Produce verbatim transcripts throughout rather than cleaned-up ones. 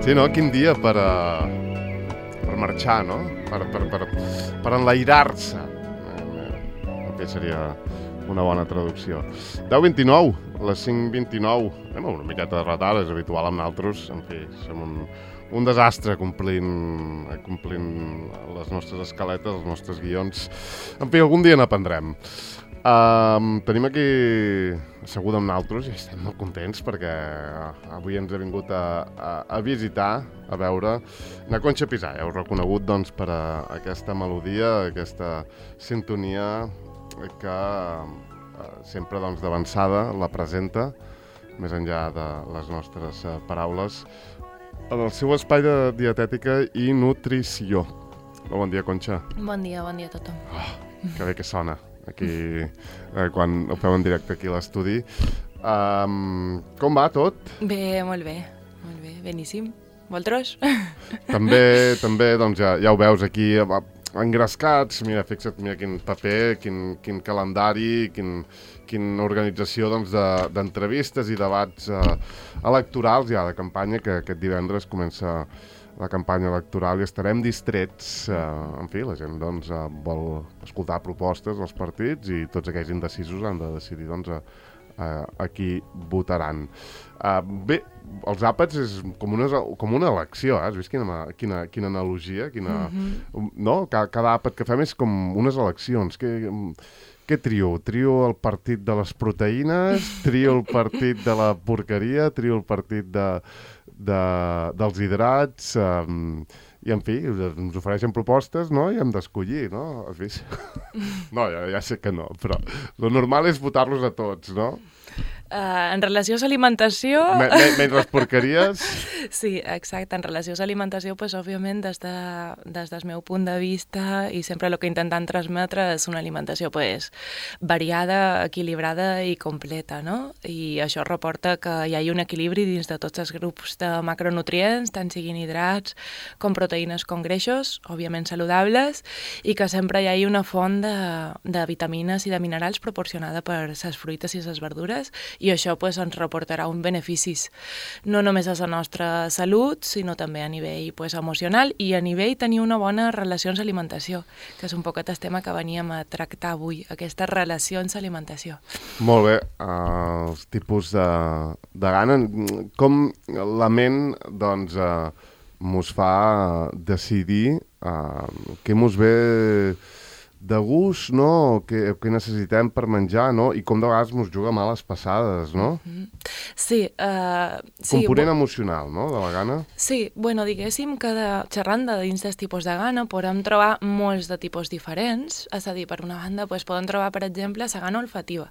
Sí, no? Quin dia per, uh, per marxar, no? Per, per, per, per enlairar-se. El que seria una bona traducció. deu vint-i-nou, les cinc vint-i-nou. Anem una miqueta de retard, és habitual amb nosaltres. En fi, som un, un desastre complint, complint les nostres escaletes, els nostres guions. En fi, algun dia n'aprendrem. Um, tenim aquí asseguda amb nosaltres i estem molt contents perquè avui ens ha vingut a, a, a visitar, a veure na Conxa Pisà. Heu reconegut doncs, per a aquesta melodia, aquesta sintonia que uh, sempre doncs, d'avançada la presenta, més enllà de les nostres uh, paraules, en el seu espai de dietètica i nutrició. Bon dia, Conxa. Bon dia, bon dia a tothom. Oh, que bé que sona aquí, eh, quan ho feu en directe aquí a l'estudi. Um, com va tot? Bé, molt bé, molt bé, beníssim. Vosaltres? També, també doncs ja, ja ho veus aquí, engrescats. Mira, fixa't, mira quin paper, quin, quin calendari, quin, quina organització doncs, de, d'entrevistes i debats eh, electorals ja de campanya, que aquest divendres comença la campanya electoral i estarem distrets. Eh, en fi, la gent doncs, eh, vol escoltar propostes dels partits i tots aquells indecisos han de decidir doncs, a, a, a qui votaran. Uh, bé, els àpats és com una, com una elecció, eh? Has vist quina, quina, quina analogia? Quina, mm-hmm. No? Cada, cada àpat que fem és com unes eleccions. Què, què trio? Trio el partit de les proteïnes? Trio el partit de la porqueria? Trio el partit de, de, dels hidrats? Um, I, en fi, ens ofereixen propostes, no? I hem d'escollir, no? Has vist? No, ja, ja sé que no, però lo normal és votar-los a tots, no? Uh, en relació a l'alimentació... Men menys les porqueries? Sí, exacte. En relació a l'alimentació, pues, òbviament, des, de, des del meu punt de vista, i sempre el que intentem transmetre és una alimentació pues, variada, equilibrada i completa, no? I això reporta que hi hagi un equilibri dins de tots els grups de macronutrients, tant siguin hidrats com proteïnes com greixos, òbviament saludables, i que sempre hi hagi una font de, de vitamines i de minerals proporcionada per les fruites i les verdures, i això pues, ens reportarà uns beneficis no només a la nostra salut, sinó també a nivell pues, emocional i a nivell tenir una bona relació amb l'alimentació, que és un poquet el tema que veníem a tractar avui, aquestes relacions amb l'alimentació. Molt bé, uh, els tipus de, de gana, com la ment doncs, uh, mos fa decidir uh, què mos ve de gust, no? Què, què necessitem per menjar, no? I com de vegades mos juga males passades, no? Mm-hmm. Sí. Uh, sí Component emocional, no?, de la gana. Sí, bueno, diguéssim que de, xerrant de dins dels tipus de gana podem trobar molts de tipus diferents, és a dir, per una banda pues, podem trobar, per exemple, la gana olfativa,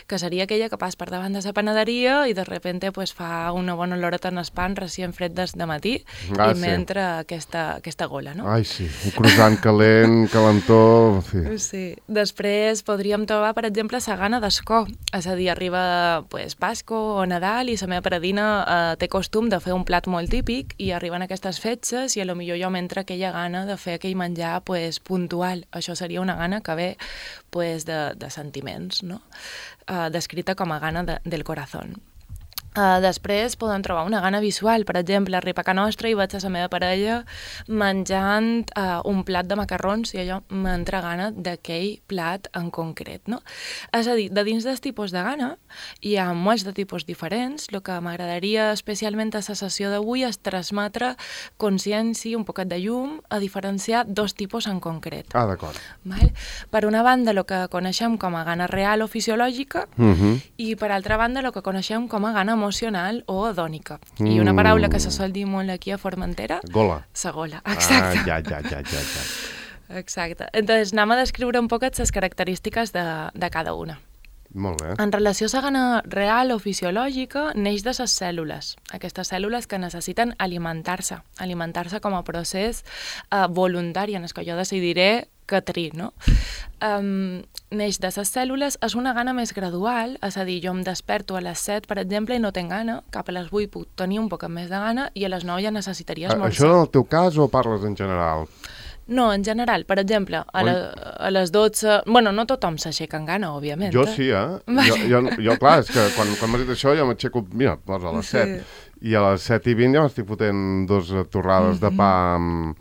que seria aquella que pas per davant de la panaderia i de repente pues, fa una bona oloreta en el pan recient fred des de matí ah, i sí. mentre aquesta, aquesta gola, no? Ai, sí, un croissant calent, calentó... Sí. sí. Després podríem trobar, per exemple, la gana d'escó. És a dir, arriba pues, Pasco o Nadal i la meva paradina eh, té costum de fer un plat molt típic i arriben aquestes fetges i a lo millor jo m'entra aquella gana de fer aquell menjar pues, puntual. Això seria una gana que ve pues, de, de sentiments, no? Eh, descrita com a gana de, del corazón. Uh, després podem trobar una gana visual, per exemple, arriba a casa nostra i veig a la meva parella menjant uh, un plat de macarrons i allò m'entra gana d'aquell plat en concret, no? És a dir, de dins dels tipus de gana hi ha molts de tipus diferents. El que m'agradaria especialment a la sessió d'avui és transmetre consciència, un poquet de llum, a diferenciar dos tipus en concret. Ah, d'acord. Val? Per una banda, el que coneixem com a gana real o fisiològica uh-huh. i per altra banda, el que coneixem com a gana emocional o hedònica. Mm. I una paraula que se sol dir molt aquí a Formentera... Gola. Sa gola, exacte. Ah, ja, ja, ja, ja, ja. Exacte. Entonces, anem a descriure un poquet les característiques de, de cada una. Molt bé. En relació a la gana real o fisiològica, neix de les cèl·lules. Aquestes cèl·lules que necessiten alimentar-se. Alimentar-se com a procés eh, voluntari, en el que jo decidiré que tri, no? Um, neix de les cèl·lules, és una gana més gradual, és a dir, jo em desperto a les set, per exemple, i no tinc gana, cap a les vuit puc tenir un poc més de gana i a les nou ja necessitaria esmorzar. Això en el teu cas o parles en general? No, en general, per exemple, a, la, a les dotze... Bueno, no tothom s'aixeca en gana, òbviament. Jo sí, eh? Jo, jo, jo clar, és que quan, quan m'has dit això jo m'aixeco, mira, a les set. i a les set i vint ja m'estic fotent dos torrades mm-hmm. de pa amb,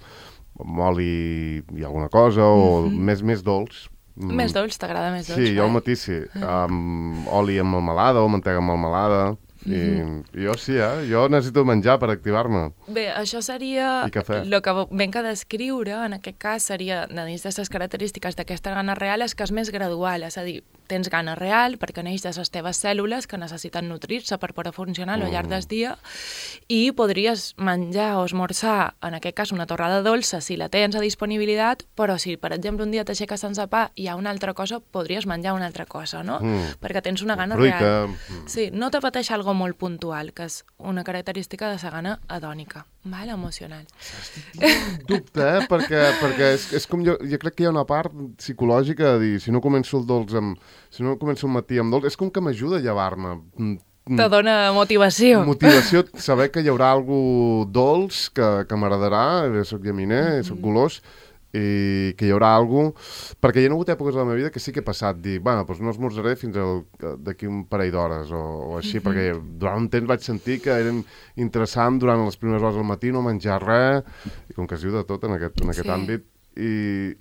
amb oli i alguna cosa, o mm-hmm. més, més dolç. Mm. Més dolç, t'agrada més dolç? Sí, jo al matí sí, amb oli amb melmelada o mantega amb melmelada. Mm-hmm. I jo sí, eh? Jo necessito menjar per activar-me. Bé, això seria... I cafè. El que venc a descriure, en aquest cas, seria, dins d'aquestes característiques d'aquesta gana real, és que és més gradual, és a dir, tens gana real perquè neix de les teves cèl·lules que necessiten nutrir-se per poder funcionar al llarg del dia, i podries menjar o esmorzar, en aquest cas, una torrada dolça si la tens a disponibilitat, però si, per exemple, un dia t'aixeques sense pa i hi ha una altra cosa, podries menjar una altra cosa, no? Mm. Perquè tens una gana Fruita. real. Sí, no te pateix algo molt puntual, que és una característica de la gana hedònica, val? Emocional. Estic dubte, eh? Perquè, perquè és, és com jo, jo crec que hi ha una part psicològica de dir, si no començo el dolç amb... Si no començo el matí amb dolç, és com que m'ajuda a llevar-me. Te dona motivació. Motivació, saber que hi haurà algú dolç que, que m'agradarà, soc llaminer, mm-hmm. soc golós, i que hi haurà algú... Perquè hi ha hagut èpoques de la meva vida que sí que he passat, dir, bueno, doncs no esmorzaré fins al, d'aquí un parell d'hores, o, o així, mm-hmm. perquè durant un temps vaig sentir que era interessant durant les primeres hores del matí no menjar res, i com que es diu de tot en aquest, en aquest sí. àmbit, i,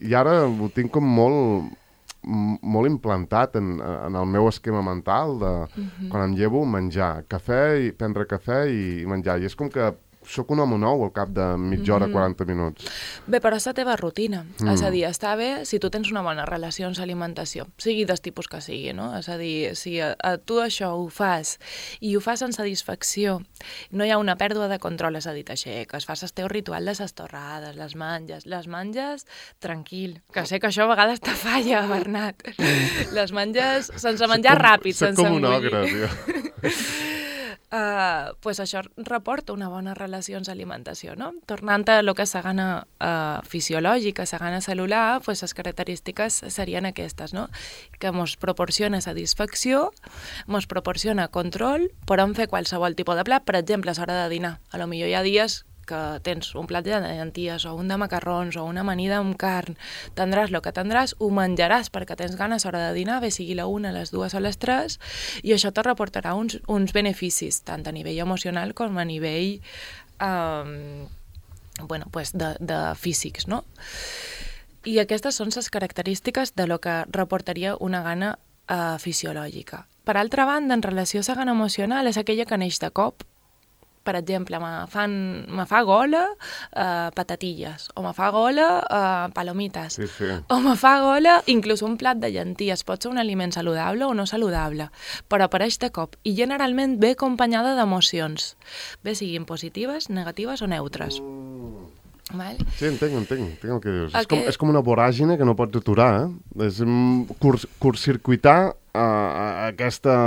i ara ho tinc com molt... molt implantat en, en el meu esquema mental de uh-huh. quan em llevo menjar cafè i prendre cafè i, i menjar, i és com que sóc un home nou al cap de mitja hora, mm. quaranta minuts. Bé, però és la teva rutina. Mm. És a dir, està bé si tu tens una bona relació amb l'alimentació, sigui del tipus que sigui, no? És a dir, si a, a tu això ho fas i ho fas amb satisfacció, no hi ha una pèrdua de control, és a dir, t'aixeques, fas el teu ritual de les torrades, les menges, les menges tranquil, que sé que això a vegades te falla, Bernat. Les menges sense menjar com, ràpid, sense com un engullir. ogre, tio. Uh, pues això reporta una bona relació amb l'alimentació, no? Tornant a lo que és la gana uh, fisiològica, la gana cel·lular, pues les característiques serien aquestes, no? Que ens proporciona satisfacció, ens proporciona control, podem fer qualsevol tipus de plat, per exemple, a l'hora de dinar. A lo millor hi ha dies que tens un plat de llenties o un de macarrons o una amanida amb carn, tindràs el que tindràs, ho menjaràs perquè tens ganes a l'hora de dinar, bé sigui la una, les dues o les tres, i això te reportarà uns, uns beneficis, tant a nivell emocional com a nivell um, bueno, pues de, de físics, no? I aquestes són les característiques de lo que reportaria una gana uh, fisiològica. Per altra banda, en relació a la gana emocional, és aquella que neix de cop. Per exemple, me, fan, me fa gola uh, patatilles, o me fa gola uh, palomites, sí, sí. o me fa gola inclús un plat de llenties. Pot ser un aliment saludable o no saludable, però apareix de cop i generalment ve acompanyada d'emocions, bé siguin positives, negatives o neutres. Mm. Val? Sí, entenc, entenc, entenc el que dius. Okay. És, com, és com una voràgine que no pots aturar, eh? És um, curs, curtcircuitar uh, aquesta,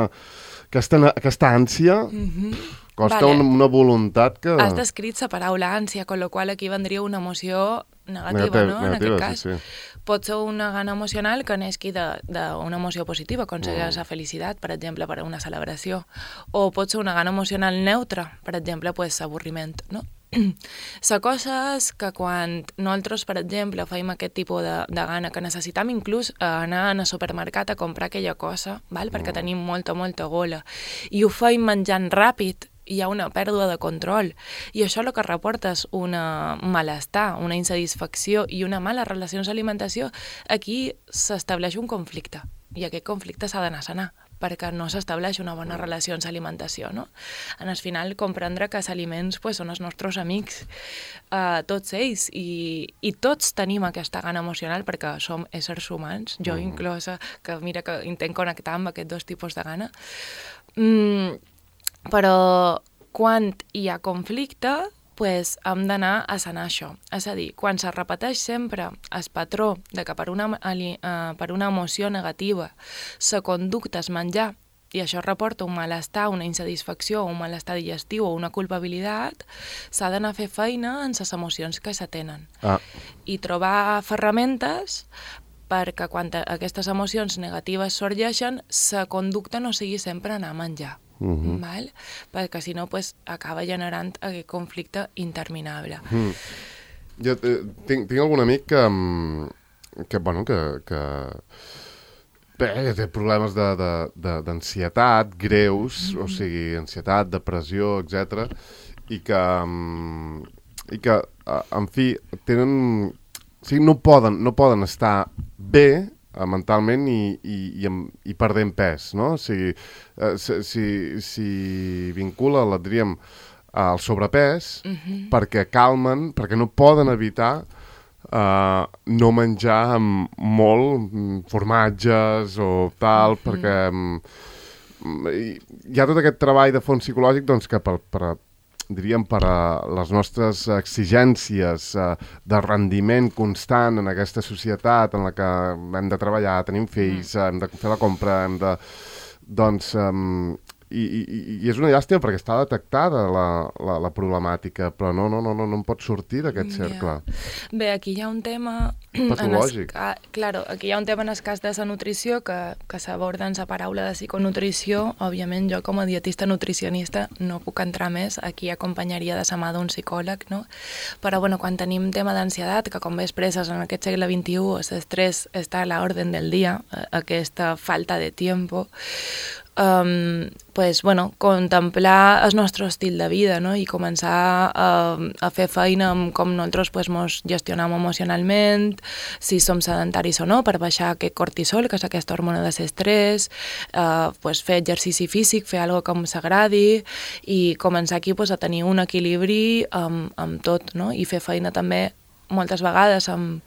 aquesta, aquesta ànsia... Mm-hmm. Costa vale. una voluntat que... Has descrit la paraula ànsia, con lo qual aquí vendria una emoció negativa, Negativ, no? Negativa, en aquest cas. Sí, sí. Pot ser una gana emocional que neixi d'una emoció positiva, com seria mm. la felicitat, per exemple, per a una celebració. O pot ser una gana emocional neutra, per exemple, pues, avorriment, no? La cosa és que quan nosaltres, per exemple, feim aquest tipus de, de gana, que necessitam inclús anar al supermercat a comprar aquella cosa, val? Perquè mm. tenim molta, molta gola, i ho feim menjant ràpid, hi ha una pèrdua de control, i això el que reporta és un malestar, una insatisfacció i una mala relació amb l'alimentació. Aquí s'estableix un conflicte, i aquest conflicte s'ha d'anar a sanar, perquè no s'estableix una bona relació amb l'alimentació, no? En el final, comprendre que els aliments pues, són els nostres amics, uh, tots ells, i, i tots tenim aquesta gana emocional perquè som éssers humans, jo mm. inclosa, que mira que intent connectar amb aquests dos tipus de gana. Mm, però quan hi ha conflicte, pues, hem d'anar a sanar això. És a dir, quan se repeteix sempre el patró de que per una, uh, per una emoció negativa la conducta és menjar, i això reporta un malestar, una insatisfacció, un malestar digestiu o una culpabilitat, s'ha d'anar a fer feina en les emocions que se tenen. Ah. I trobar ferramentes perquè quan aquestes emocions negatives sorgeixen, la conducta no sigui sempre anar a menjar. Uh-huh. Val? Perquè si no pues, acaba generant aquest conflicte interminable. Uh-huh. Jo eh, tinc, tinc algun amic que, que, bueno, que, que Bé, té problemes d'ansietat greus, mm-hmm. o sigui, ansietat, depressió, etcètera, i que, i que, en fi, tenen... O sigui, no poden, no poden estar bé mentalment i, i, i, i perdent pes, no? O sigui, si, si, si vincula, la diríem, al sobrepès, mm-hmm. perquè calmen, perquè no poden evitar Uh, no menjar amb molt formatges o tal, mm-hmm. perquè um, hi ha tot aquest treball de fons psicològic doncs, que per, per, diríem per a les nostres exigències uh, de rendiment constant en aquesta societat en la que hem de treballar, tenim fills, mm. hem de fer la compra, hem de... doncs... Um, I, i, i és una llàstima perquè està detectada la, la, la problemàtica, però no, no, no, no, no en pot sortir d'aquest cercle. Yeah. Bé, aquí hi ha un tema... patològic. Es, claro, aquí hi ha un tema en el cas de la nutrició que, que s'aborda en la paraula de psiconutrició. Òbviament, jo com a dietista nutricionista no puc entrar més, aquí acompanyaria de la mà d'un psicòleg, no? Però, bueno, quan tenim tema d'ansietat, que com bé expresses en aquest segle vint-i-u, l'estrès està a l'ordre del dia, aquesta falta de tiempo, Um, pues, bueno, contemplar el nostre estil de vida, no? I començar a, a fer feina amb com nosaltres pues, mos gestionam emocionalment, si som sedentaris o no, per baixar aquest cortisol, que és aquesta hormona de l'estrès, uh, pues, fer exercici físic, fer alguna cosa que s'agradi i començar aquí pues, a tenir un equilibri amb, amb tot, no? I fer feina també moltes vegades amb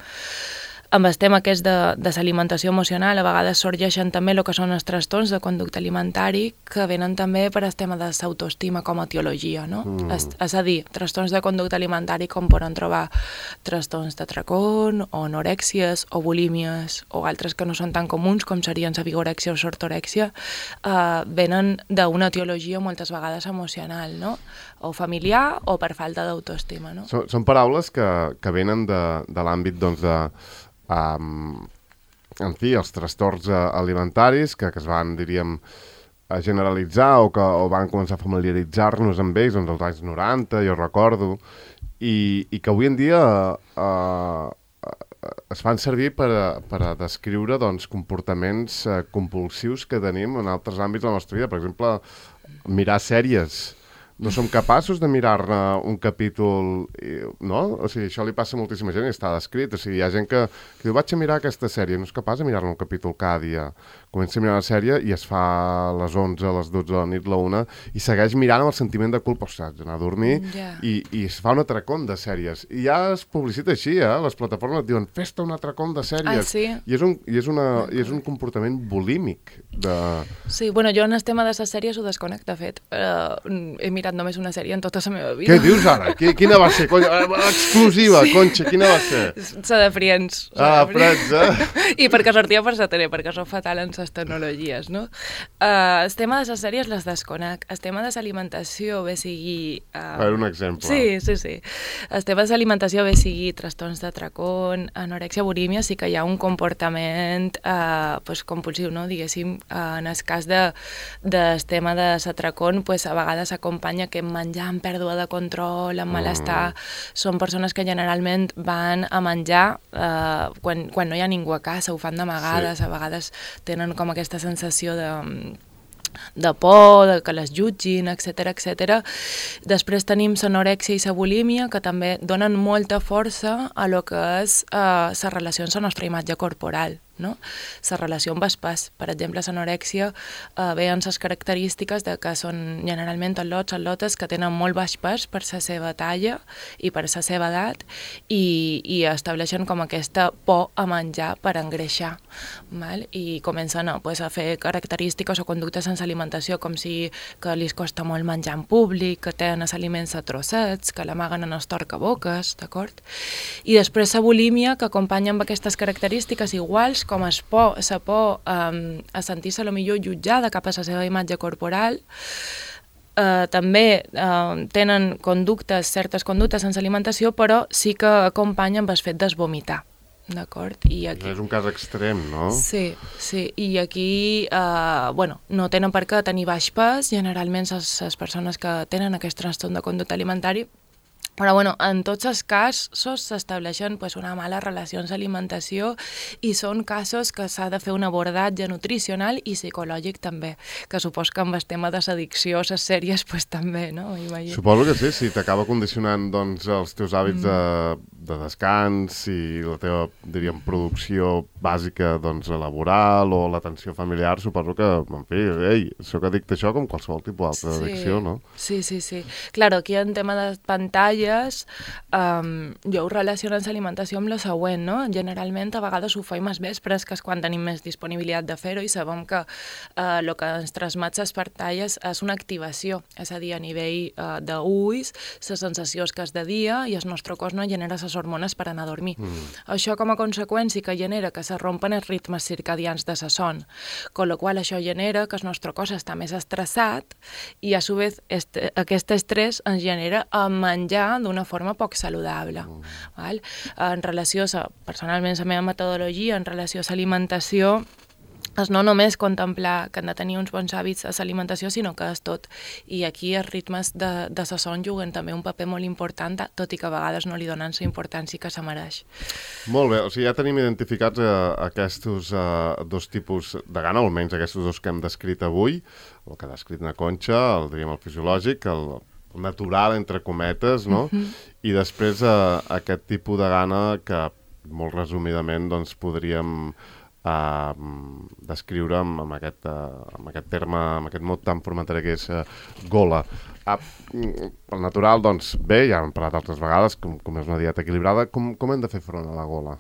amb el tema aquest de, de l'alimentació emocional, a vegades sorgeixen també el que són els trastorns de conducta alimentari que venen també per al tema de l'autoestima com a etiologia, no? Mm. És, és a dir, trastorns de conducta alimentari com poden trobar trastorns d'atracón o anorèxies o bulímies o altres que no són tan comuns com serien la vigorèxia o l'ortorèxia, eh, venen d'una etiologia moltes vegades emocional, no? O familiar o per falta d'autoestima, no? Són, són paraules que, que venen de, de l'àmbit, doncs, de Um, en fi, els trastorns uh, alimentaris que, que es van, diríem, a generalitzar o que o van començar a familiaritzar-nos amb ells doncs, als anys noranta, jo recordo, i, i que avui en dia uh, uh, es fan servir per a, per a descriure doncs, comportaments uh, compulsius que tenim en altres àmbits de la nostra vida. Per exemple, mirar sèries. No som capaços de mirar-ne un capítol, no? O sigui, això li passa a moltíssima gent i està descrit. O sigui, hi ha gent que, que diu, vaig a mirar aquesta sèrie, no és capaç de mirar-ne un capítol cada dia. Comença a mirar la sèrie i es fa a les onze, a les dotze de la nit, la una, i segueix mirant amb el sentiment de culpa, ostres, d'anar a dormir, yeah. i, i es fa un atracón de sèries. I ja es publicita així, eh? Les plataformes et diuen, fes-te un atracón de sèries. Ah, sí? I és un, i és una, i és un comportament bulímic. De... Sí, bueno, jo en el tema de les sèries ho desconec, de fet. Uh, he mirat només una sèrie en tota la meva vida. Què dius ara? Quina va ser? Exclusiva, sí. Conxa, quina va ser? La de Friends. Ah, Friends, eh? I perquè sortia per la tele, perquè sóc fatal en les tecnologies, no? Uh, el tema de les sèries les desconec. El tema de l'alimentació, bé sigui... Uh... A veure, un exemple. Sí, sí, sí. El tema de l'alimentació, bé sigui trastorns d'atracón, anorèxia, bulímia, sí que hi ha un comportament uh, pues, compulsiu, no? Diguéssim, uh, en el cas de, del tema de l'atracón, pues, a vegades s'acompanya que menjar amb pèrdua de control, amb malestar, mm. són persones que generalment van a menjar uh, quan, quan no hi ha ningú a casa, ho fan d'amagades, sí. A vegades tenen com aquesta sensació de, de por, de que les jutgin, etcètera, etcètera. Després tenim l'anorèxia i la bulímia, que també donen molta força a lo que és uh, la relació amb la nostra imatge corporal. No? La relació amb el pes. Per exemple, l'anorèxia eh, ve en les característiques de que són generalment al·lots, al·lotes que tenen molt baix pes per la seva talla i per la seva edat i, i estableixen com aquesta por a menjar per engreixar. Val? I comencen a, pues, a fer característiques o conductes sense alimentació com si que li costa molt menjar en públic, que tenen els aliments a trossets, que l'amaguen en els torcaboques, d'acord? I després la bulímia, que acompanya amb aquestes característiques iguals com es por, la por um, a sentir-se potser jutjada cap a la seva imatge corporal. Uh, també uh, tenen conductes, certes conductes sense alimentació, però sí que acompanyen amb el fet de vomitar. D'acord? I aquí... És un cas extrem, no? Sí, sí. I aquí, uh, bueno, no tenen per què tenir baix pes. Generalment les, les persones que tenen aquest trastorn de conducta alimentari Però bueno, en tots els casos s'estableixen pues, una mala relació amb l'alimentació i són casos que s'ha de fer un abordatge nutricional i psicològic també, que supos que amb el tema de l'addicció, les sèries, pues, també, no? Imagino. Suposo que sí, si t'acaba condicionant doncs, els teus hàbits mm. de, de descans i la teva, diríem, producció bàsica doncs, laboral o l'atenció familiar, suposo que, en fi, ei, soc addicte a això com qualsevol tipus d'altra sí. addicció, no? Sí, sí, sí. Claro, aquí en tema de pantalla Um, jo ho relaciono amb l'alimentació amb el següent, no? Generalment a vegades ho faim als vespres, que és quan tenim més disponibilitat de fer-ho i sabem que el uh, que ens transmet les pantalles és una activació, és a dir, a nivell uh, d'ulls, les sensacions que és de dia i el nostre cos no genera les hormones per anar a dormir. Mm. Això com a conseqüència que genera que se rompen els ritmes circadians de la son, con lo qual això genera que el nostre cos està més estressat i a su vez este, aquest estrès ens genera a menjar d'una forma poc saludable. Mm. Val? En relació a, personalment, la meva metodologia, en relació a l'alimentació, és no només contemplar que han de tenir uns bons hàbits a l'alimentació, sinó que és tot. I aquí els ritmes de, de la son juguen també un paper molt important, tot i que a vegades no li donen la importància que se mereix. Molt bé, o sigui, ja tenim identificats eh, aquests eh, dos tipus de gana, almenys aquests dos que hem descrit avui, el que ha descrit na Conxa, el, diríem, el fisiològic, el natural, entre cometes, no? Uh-huh. I després eh, aquest tipus de gana que, molt resumidament, doncs, podríem eh, descriure amb, amb, aquest, eh, amb aquest terme, amb aquest mot tan formatari que és eh, gola. Eh, el natural, doncs, bé, ja hem parlat altres vegades, com, com és una dieta equilibrada, com, com hem de fer front a la gola?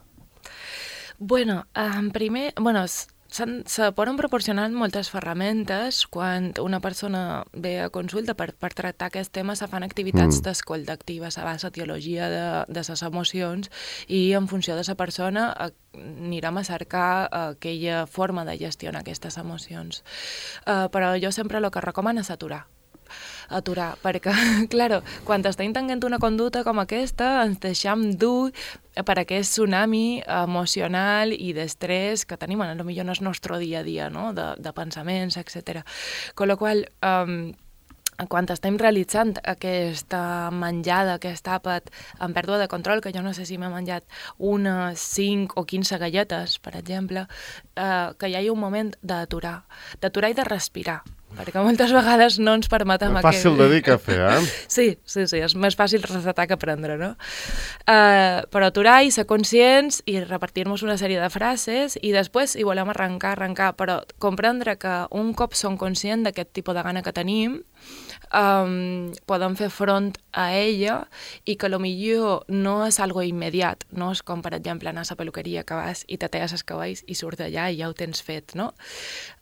Bueno, en primer... Bueno, se poden proporcionar moltes ferramentes quan una persona ve a consulta per, per tractar aquest tema, se fan activitats mm. d'escolta activa, se va a la teologia de, de les emocions i en funció de la persona anirem a cercar aquella forma de gestionar aquestes emocions. Uh, però jo sempre el que recomano és aturar. aturar, perquè, claro, quan estem tenint una conducta com aquesta, ens deixem dur per aquest tsunami emocional i d'estrès que tenim, a lo millor en el nostre dia a dia, no? de, de pensaments, etcètera. Con la qual um, quan estem realitzant aquesta menjada, aquest àpat en pèrdua de control, que jo no sé si m'he menjat unes cinc o quinze galletes, per exemple, eh, que hi hagi un moment d'aturar, d'aturar i de respirar, perquè moltes vegades no ens permetem... És fàcil aquest... de dir que fer, eh? Sí, sí, sí, és més fàcil recetar que aprendre, no? Uh, però aturar i ser conscients i repartir-nos una sèrie de frases i després, si volem arrencar, arrencar, però comprendre que un cop som conscients d'aquest tipus de gana que tenim, um, podem fer front a ella i que potser no és algo immediat, no és com, per exemple, anar a la peluqueria que vas i te talles els cabells i surts d'allà i ja ho tens fet, no?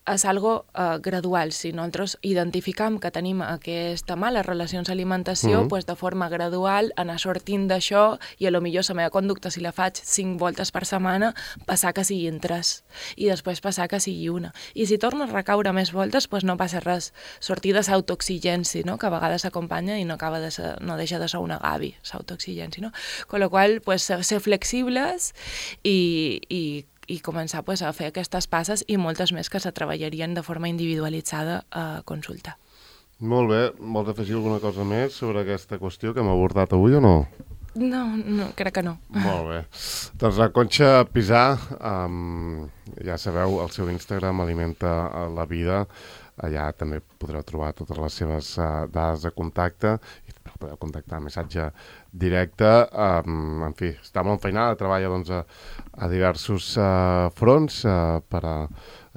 És algo uh, gradual. Si nosaltres identificam que tenim aquesta mala relació amb l'alimentació, mm-hmm. pues de forma gradual anar sortint d'això i a lo millor la meva conducta, si la faig cinc voltes per setmana, passar que siguin tres i després passar que sigui una. I si torno a recaure més voltes, pues no passa res. Sortir de l'autoexigència, no? Que a vegades s'acompanya i no, acaba de ser, no deixa de ser una gavi, l'autoexigència, no? Con la qual, pues, ser flexibles i, i i començar pues, a fer aquestes passes i moltes més que se treballarien de forma individualitzada a consulta. Molt bé. Vols afegir alguna cosa més sobre aquesta qüestió que hem abordat avui o no? No, no, crec que no. Molt bé. Doncs la Conxa Pisà, um, ja sabeu, el seu Instagram Alimenta la Vida. Allà també podreu trobar totes les seves uh, dades de contacte i podeu contactar missatge directe. Um, en fi, està molt enfeinada, treballa doncs, a, a diversos uh, fronts uh, per a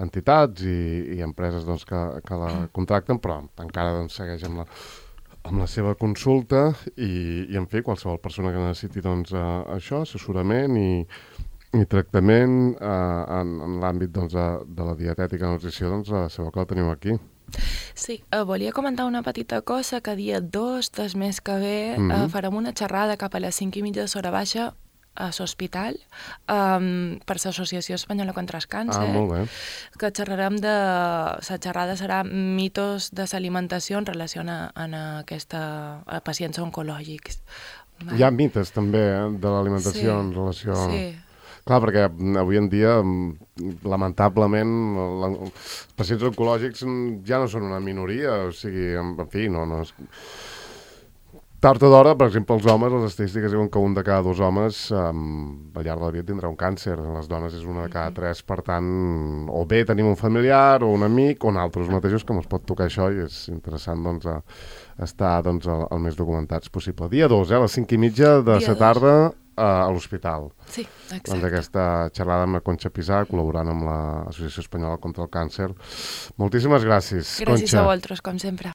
entitats i, i empreses doncs, que, que la contracten, però encara doncs, segueix amb la, amb la seva consulta i, i en fi, qualsevol persona que necessiti doncs, uh, això, assessorament i, i tractament uh, en, en l'àmbit doncs, de, de la dietètica i nutrició, doncs uh, sabeu que la teniu aquí. Sí, eh, volia comentar una petita cosa, que dia dos del mes que ve mm-hmm. eh, farem una xerrada cap a les cinc i mitja de Sora Baixa a l'hospital um, per l'Associació Espanyola contra el Càncer. Ah, molt bé. Que xerrarem de... La xerrada serà mitos de l'alimentació en relació a, a, aquesta, a pacients oncològics. Hi ha mites també eh, de l'alimentació sí, en relació... Sí. Clar, perquè avui en dia, lamentablement, els pacients oncològics ja no són una minoria, o sigui, en fi, no... no és... tard o d'hora, per exemple, els homes, les estadístiques diuen que un de cada dos homes um, al llarg de la vida tindrà un càncer. Les dones és una de cada tres, per tant, o bé tenim un familiar o un amic o nosaltres mateixos que ens pot tocar això i és interessant doncs, a, estar doncs, el, el més documentats possible. Dia dos, eh, a les cinc i mitja de la tarda a l'hospital. Sí, exacte. Doncs aquesta xerrada amb la Conxa Pisà, col·laborant amb l'Associació Espanyola contra el Càncer. Moltíssimes gràcies, Gràcies Conxa. a vosaltres, com sempre.